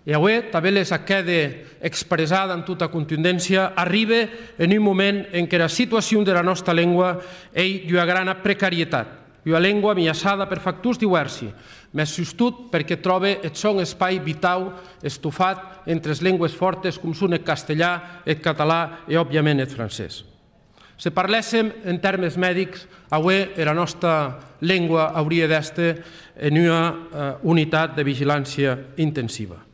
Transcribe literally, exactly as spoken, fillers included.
E avui, també les queda expressada amb tota contundència, arriba en un moment en què la situació de la nostra llengua és d'una gran precarietat, una llengua ameaçada per factors diversi, més sustot perquè troba el seu espai vital estufat entre les llengües fortes com són el castellà, el català i, òbviament, el francès. Si parléssim en termes mèdics, avui la nostra llengua hauria d'estar en una unitat de vigilància intensiva.